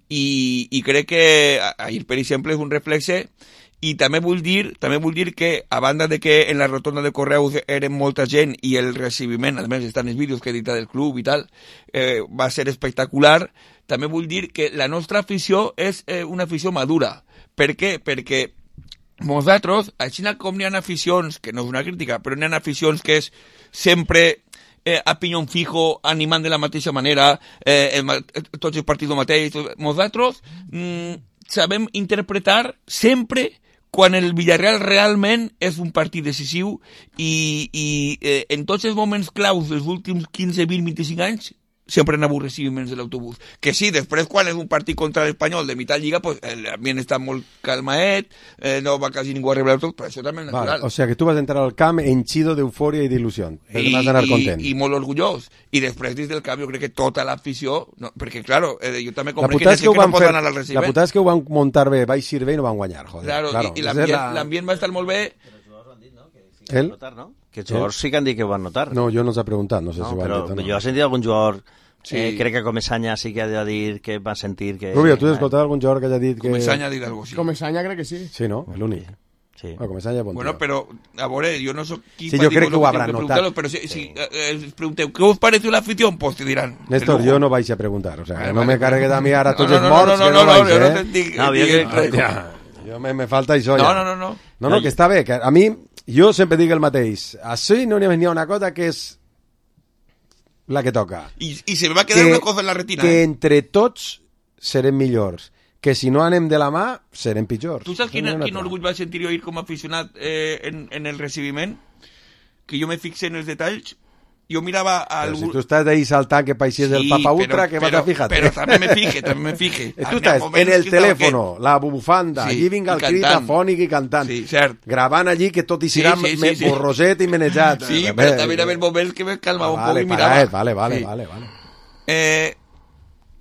i, i crec que ahir, per exemple, és un reflexe. I també vull dir, també vull dir que, a banda de que en la rotonda de Correus eren molta gent i el recibiment, a més estan els vídeos que he editat del club i tal, eh, va ser espectacular, també vull dir que la nostra afició és eh, una afició madura. Per què? Perquè nosaltres, així com n'hi ha aficions, que no és una crítica, però n'hi ha aficions que és sempre eh, a pinyón fijo, animant de la mateixa manera, eh, el, tots els partits mateix, nosaltres mm, sabem interpretar sempre quan el Villarreal realment és un partit decisiu i, i eh, en tots els moments claus dels últims quinze, vint, vint-i-cinc anys sempre han hagut recibiments de l'autobús. Que sí, després quan és un partit contra l'Espanyol de mitad lliga, pues l'ambient està molt calmaet, eh, no va quasi ningú a rebre l'autobús, però això també és natural. Vale, o sea que tu vas entrar al camp henchido d'eufòria i d'il·lusió. Vas anar content. I, i molt orgullós. I després, des del camp, jo crec que tota l'afició, no, perquè, claro, eh, jo també compré que, que, que no pot fer, anar al recibiment. La putada és que ho van muntar bé, va eixir bé i no van guanyar, joder. Claro, claro. I, i l'ambient la... va estar molt bé. Que els jugadors, no? Que els jugadors sí que han dit que ho van notar. No, jo no s'ha preguntat, no sé no, si ho han dit o no. Jo he sentit algun jugador... Sí. Eh, crec que Comesaña sí que ha de dir que va sentir que... Rubio, tu has escoltat algun jugador que haya dit que... Comesaña ha dit alguna cosa, sí. Comesaña crec que sí. Sí, no? L'únic. Sí. Bueno, Comesaña bon bueno, però, a veure, jo no soc qui... Sí, jo crec que ho habrán notat. Però si, si eh, els pregunteu, ¿qué os pareció la afición? Pues te dirán. Néstor, jo no vaig a preguntar, o sea, vale, no vale, me cargue a mi ara tots no, els no, morts, no, no, que no, no, vaig, no, eh? No, no, dic, no, dic, que... ja, jo me, me falta això no, ja. No, no, no. No, no, que està bé, que a mi, jo sempre dic el mateix. Així no n'hi ha una cosa que és la que toca. I, i se me va quedar que, una cosa en la retina. Que eh? entre tots serem millors. que si no anem de la mà serem pitjors. Tu saps quin, quin orgull va sentir jo ir com a aficionat eh, en, en el recibiment? Que jo me fixé en els detalls. Jo mirava al... Però si tu estàs ahí saltant que paixés sí, el Papa Ultra, que vas a fijarte. Però també me fique, també me fique. Tu estàs en el telèfono, que... la bufanda, sí, allí vinga el crit afònic i cantant. Sí, cert. Gravant allí que tot hi serà sí, sí, sí, sí. borroset i menejat. Sí, Bé, però també era el moment que me calmava ah, vale, un poc i mirava. Vale, vale, vale, sí. vale, vale. Eh...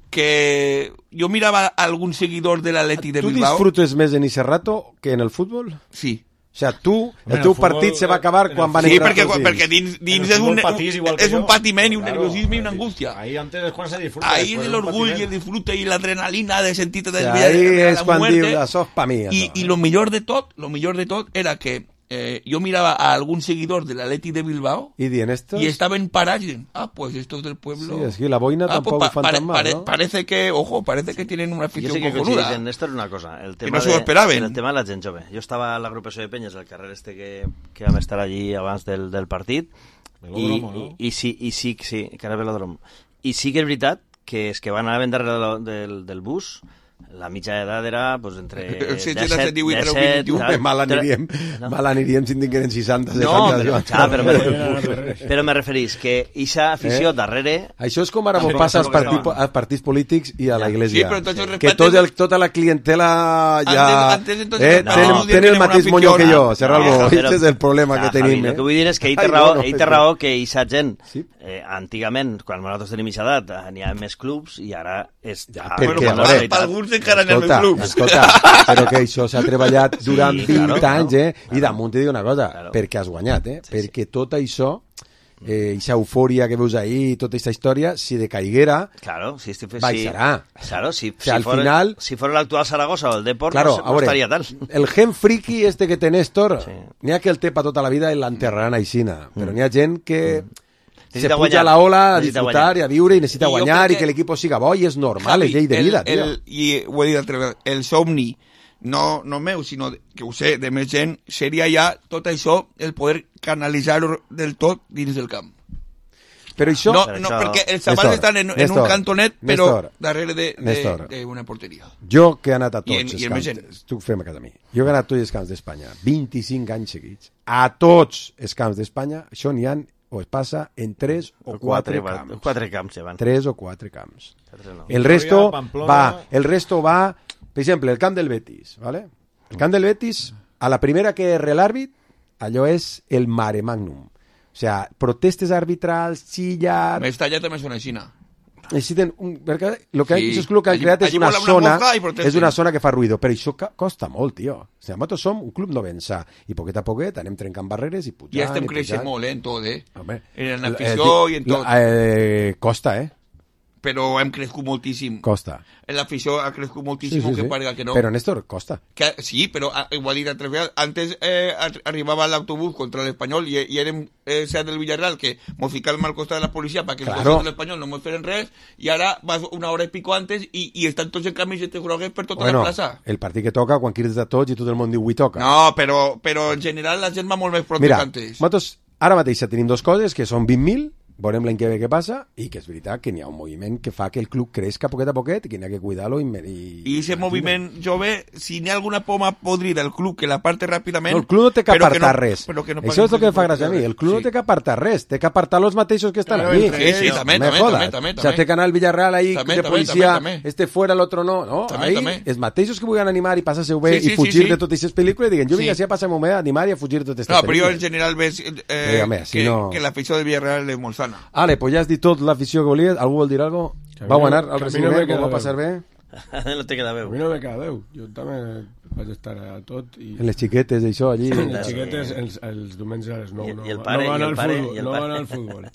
que jo mirava algun seguidor de l'Atleti de Bilbao. ¿Tú disfrutes més en ese rato que en el fútbol? Sí. O sea, tu, el, el teu futbol, partit se va acabar quan van sí, entrar perquè, tots dins. perquè dins, dins és, un, un, és un patiment i un claro, nerviosisme i una angústia. Ahí antes es cuando se disfruta. Ahí el orgull i el disfrute i l'adrenalina de sentir-te desviar de la muerte. És quan dius, això és pa mi. I, i lo millor de tot, lo millor de tot era que Eh, yo miraba a algún seguidor del Atleti de Bilbao y, y estaban parados y ah, pues estos del pueblo... Sí, es que la boina ah, tampoco pues, pa, pare, pare, ¿no? Parece que, ojo, parece que tienen una afición cojonuda. Yo sé que coincidís en esto es una cosa. El tema, que no de, esperaven. el tema de la gent jove. Jo estava a l'agrupació de Penyes, el carrer este que, que vam estar allí abans del, del partit. I, no? i, i, sí, i sí, sí, carrer Velòdrom. I sí que és veritat que és que van anar ben darrere del, del bus. La mitja edat era pues, entre disset, disset... Mal aniríem, no? mal aniríem si en tingueren seixanta, setanta. No, però, clar, però, me, però me referís que ixa afició eh? darrere... Això és com ara m'ho passa als, partits, als partits polítics i a la Iglesia. Sí, que tot el, tota la clientela ja... Antes, antes, eh, no, tenen, no, tenen el mateix moño que jo, Serralbo. No, Aquest és el problema no, que tenim. El que vull dir és que ell té raó, ell té raó que ixa gent, eh, antigament, quan nosaltres tenim ixa edat, n'hi ha més clubs i ara és... Ja, perquè, alguns encara en el club. Escolta, però que això s'ha treballat durant sí, vint claro, anys, eh? Claro. I damunt te dic una cosa, claro. perquè has guanyat, eh? Sí, perquè sí. tot això, eh, aquesta eufòria que veus ahí, tota aquesta història, si decaiguera, claro, si estic, baixarà. Si, claro, si, o sea, si, al fora, final, si fora l'actual Saragossa o el Deport, claro, no, no estaria tal. El gen friki este que té Néstor, sí. n'hi ha que el té pa tota la vida i l'enterraran aixina, mm. però n'hi ha gent que... Mm. Se puja guanyar. a la ola a disfrutar guanyar. i a viure i necessita I guanyar que... i que l'equip siga bo i és normal, Javi, és llei de vida, el, el, i ho he dit altre vegada, el somni no, no meu, sinó que ho sé, de més gent, seria ja tot això, el poder canalitzar-ho del tot dins del camp. Però això... No, no això... perquè els xavals estan en, en Néstor, un cantonet, però Néstor, darrere d'una porteria. Jo que he anat a tots I en, els i camps... Tu fem a casa mi. Jo que he anat a tots els camps d'Espanya, vint-i-cinc anys seguits, a tots els camps d'Espanya, això n'hi ha o es passa en tres o quatre, quatre camps. Quatre camps, ja van. Tres o quatre camps. No. El resto va, el resto va, per exemple, el camp del Betis, ¿vale? El camp del Betis, a la primera que erre l'àrbit, allò és el mare magnum. O sea, protestes arbitrals, chillar... Mestalla també és una xina. Necessiten un, perquè lo que, sí. Això és el que han creat és una zona és una zona que fa ruïdo, però això costa molt, tio. O sigui, nosaltres som un club no vensà i poquet a poquet anem trencant barreres i pujant. I estem creixent molt, eh, en tot, eh? Home, en l'afició i en tot. Eh, costa, eh? Però hem crescut moltíssim. Costa. L'afició ha crescut moltíssim, sí, sí, que sí. parga que no. Però, Néstor, costa. Que, sí, però igual dit altres vegades. Antes eh, arribava l'autobús contra l'Espanyol i, i érem eh, seat del Villarreal que mos ficàvem al costat de la policia perquè claro. Els costats de l'Espanyol no mos feren res i ara vas una hora i pico antes i, i estan tots en camisetes grogues per tota bueno, la plaça. El partit que toca, quan crides de tots i tot el món diu, avui toca. No, però, però en general la gent va molt més protestantes. Mira, nosaltres ara mateix tenim dues coses, que són vint mil, veurem l'any que ve què passa, i que és veritat que n'hi ha un moviment que fa que el club crezca poquet a poquet i que n'hi ha que cuidar-lo. I, I aquest moviment jove, si n'hi ha alguna poma podrida del club que la parte ràpidament... No, el club no té que apartar no, res. No Això és el que fa gràcia a mi. El club sí. no té que apartar res, té que apartar els mateixos que estan aquí. Sí, sí, també, no també, també, també. O sea, té que anar al Villarreal ahí, també, de policia, també, també. este fuera, l'altre no. no? També, ahí, també. Els mateixos que vulguin animar i passar-se-ho bé sí, sí, i fugir sí, sí. de totes aquestes pel·lícules, diguen, jo vinc així a passar-m'ho bé, a animar i a fugir de totes aquestes no, pel·lícules. No, però jo en general ves eh, home, si que, no... que l'afició del Villarreal és molt sana. Ale, pues ja has dit tot l'afició que volies. Algú vol dir alguna cosa? Vau anar al recibiment? Ho va passar bé? No té queda veu. A mi no me queda veu. Jo també vaig estar a tot. I... En les xiquetes, això, allí. En les xiquetes, els, els diumenges a les nou. I, i el pare, no van i el pare, futbol, i el no pare. van al futbol.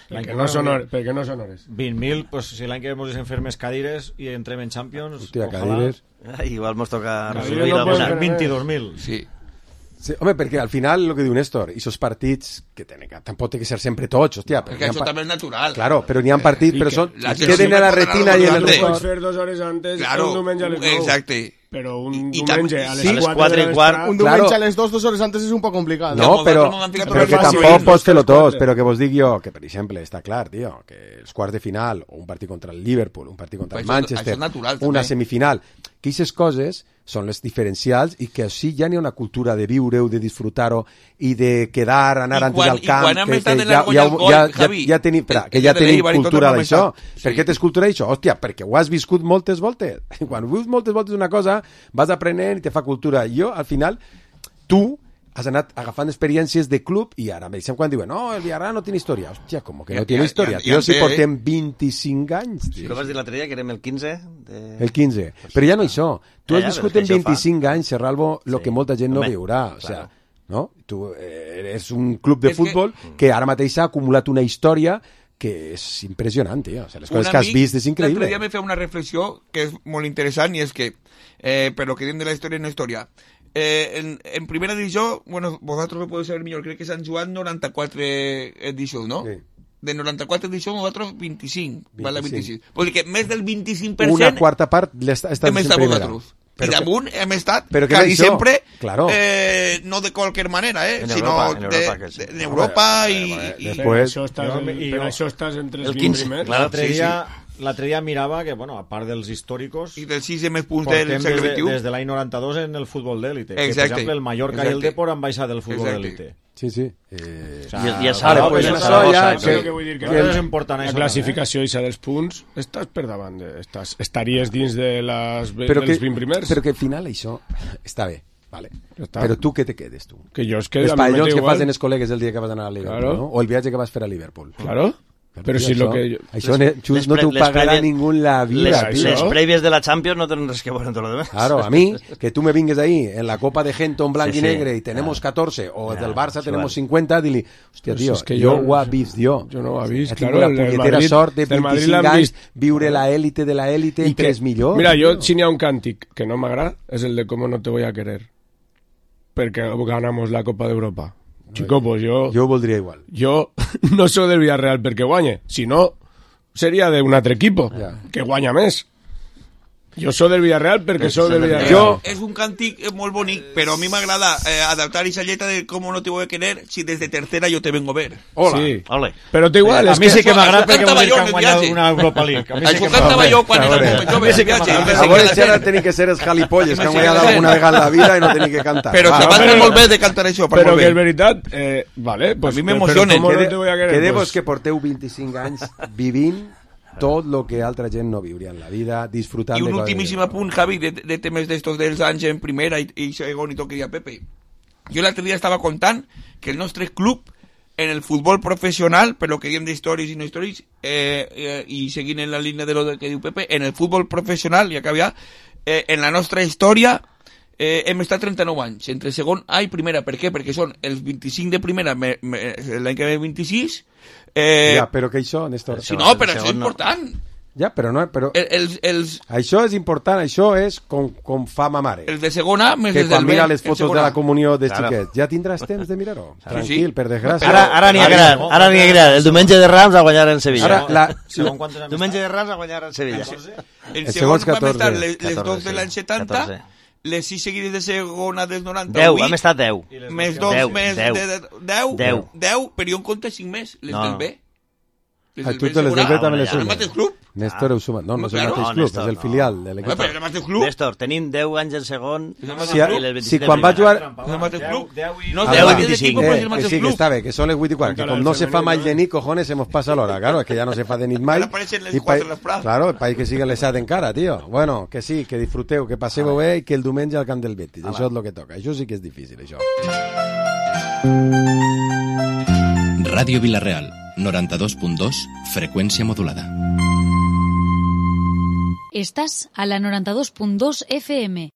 perquè, no són hores, perquè no són hores. vint mil, pues, si l'any que ve mos deixen fer més cadires i entrem en Champions... Hòstia, cadires... Igual mos toca... Cadires no poden vint-i-dos mil. Sí. Sí, home, perquè al final, el que diu Néstor, i esos partits, que tenen, tampoc té que ser sempre tots, hòstia. Perquè això també és natural. Claro, però n'hi ha partits, eh, però són... La queden a la retina i en el record. record. Pots fer dues hores antes, claro, un diumenge a les nou. Exacte. Però un I, diumenge i a les sí, quatre i quart. Un diumenge a les dos, dues hores antes és un poc complicat. No, però, però que tampoc pots fer-lo tots, però que vos dic jo, que per exemple, està clar, tio, que els quarts de final, o un partit contra el Liverpool, un partit contra el Manchester, una semifinal, que aquestes coses són les diferencials i que sí ja n'hi ha una cultura de viure-ho, de disfrutar-ho i de quedar, anar antes al camp, que, que ja, ja, ja, ja, ja tenim, espera, que ja tenim cultura d'això. Per què tens cultura d'això? Hòstia, perquè ho has viscut moltes voltes. Quan vius moltes voltes una cosa, vas aprenent i te fa cultura. Jo, al final, tu has anat agafant experiències de club i ara me deixem quan diuen no, el Villarreal no té història. Hòstia, com que no té història? Jo si portem vint-i-cinc anys. Però vas dir l'altre dia que érem el quinze? De... El quinze. Però ja no això. Tu has viscut en vint-i-cinc anys, Serralvo, el que molta gent no veurà. O sea, no? Tu eres un club de futbol que ara mateix ha acumulat una història que és impressionant, tio. O sea, les coses que has vist és increïble. L'altre dia me feia una reflexió que és molt interessant i és que, eh, per lo que diem de la història no història, eh, en, en primera divisió, bueno, vosaltres ho podeu saber millor, crec que s'han jugat noranta-quatre edicions, no? Sí. De noranta-quatre edicions, nosaltres vint-i-cinc, vint-i-cinc. Vale, vint-i-cinc. Vol dir que més del vint-i-cinc per cent... Una quarta part estàs en primera. Vosaltres. I damunt hem estat quasi sempre, claro. eh, no de qualsevol manera, eh, en sinó Europa, en Europa, de, sí. de, en Europa i... i Després, això estàs en, per això estàs entre els vint primers. L'altre dia, l'altre dia mirava que, bueno, a part dels històricos... I dels sis més punts del segle vint-i-u. Des de l'any noranta-dos en el futbol d'élite. Que, per exemple, el Mallorca Exacte. i el Depor han baixat del futbol d'élite. Sí, sí. Eh... O sea, I, i el Saragossa, pues, el Saragossa, ja, que, que, vull dir que, que és important la classificació i dels punts estàs per davant de, estàs, estaries dins de les, però dels que, vint primers, però que al final això està bé, vale. Està. Però tu què te quedes tu? Que jo es quedo els pavellons que fas en els col·legues el dia que vas anar a Liverpool, claro. No? O el viatge que vas fer a Liverpool, claro. Però si lo que jo... Això les, just no t'ho pagarà prèvies, ningú en la vida. Les, les prèvies de la Champions no tenen res que veure amb tot lo demás. Claro, a mí, que tú me vingues ahí en la Copa de Gento en blanc sí, y negre y tenemos claro. catorce, o claro, del Barça tenemos cincuenta, dili, hòstia, tio, pues es que jo jo ho he vist jo. Jo no ho he vist, he claro. La punyetera sort de vint-i-cinc anys, viure la élite de la élite, que és millor. Mira, jo, si n'hi ha un càntic que no m'agrada, és el de Cómo no te voy a querer. Perquè ganamos la Copa d'Europa. Chico, pues yo... Jo ho voldria igual. Jo no soc del Villarreal perquè guanye, si no... seria d'un altre equip yeah. que guanya més. Jo soc del Villarreal perquè soc del Villarreal. Jo... És un càntic molt bonic, però a mi m'agrada eh, adaptar esa lletra de cómo no te voy a querer si desde tercera yo te vengo a ver. Hola. Sí. Ole. Però té igual. A mi sí que m'agrada perquè vol dir que han guanyat una Europa League. A mi sí que m'agrada. Jo quan era jove de viatge. A veure si ara tenen que ser els jalipolles que han guanyat alguna vegada en la vida i no tenen que cantar. Però se van molt bé de cantar això. Però que és veritat, eh, vale, pues, a mi m'emociona. Quedemos que porteu vint-i-cinc anys vivint tot el que altra gent no viuria en la vida, disfrutant de... I un de ultimíssim apunt, Javi, de, de temes d'estos dels anys en primera i, i segon i tot que deia Pepe. Jo l'altre dia estava contant que el nostre club en el futbol professional, per lo que diem d'històries i no històries, eh, eh, i seguint en la línia de lo que diu Pepe, en el futbol professional, i acaba ja, eh, en la nostra història eh, hem estat trenta-nou anys, entre segon A i primera. Per què? Perquè són els vint-i-cinc de primera, me, me, l'any que ve vint-i-sis. Eh, ja, però que això, Néstor... Si no, però això és important. Ja, però no... Però... El, els, els... Això és important, això és com, com fa ma mare. El de segona, més que des del quan mira les B, fotos de la comunió de claro. xiquets, ja tindràs temps de mirar-ho. Tranquil, sí, sí. per desgràcia. Ara, ara n'hi ha gran, ara n'hi ha gran. El diumenge de Rams a guanyar en Sevilla. Ara, la... la... Diumenge de Rams a guanyar en Sevilla. El, el segon vam estar les, les dos de l'any setanta, les sis seguides de segona del noranta-vuit. deu, hem estat deu. Més dos, més deu, deu, però jo en compte cinc més, les del B. Ah, tu te les del B també les sumes. El mateix club? Néstor ho suma. No, no és el mateix club, és el filial de l'equip. Però el mateix club? Néstor, tenim deu anys en segon si, si quan va jugar... El mateix club? No, deu i vint-i-cinc. Eh, que sí, que està bé, que són les vuit i quart. Que com no se fa mai de nit, cojones, se mos passa l'hora. Claro, es que ja no se fa de nit mai. Ara apareixen les quatre les prats. Claro, el país que siga les set encara, tio. Bueno, que sí, que disfruteu, que passeu bé i que el diumenge al camp del Betis. Això és el que toca. Això sí que és difícil, això. Ràdio Vilareal, noranta-dos punt dos, freqüència modulada. Estás a la noranta-dos punt dos F M.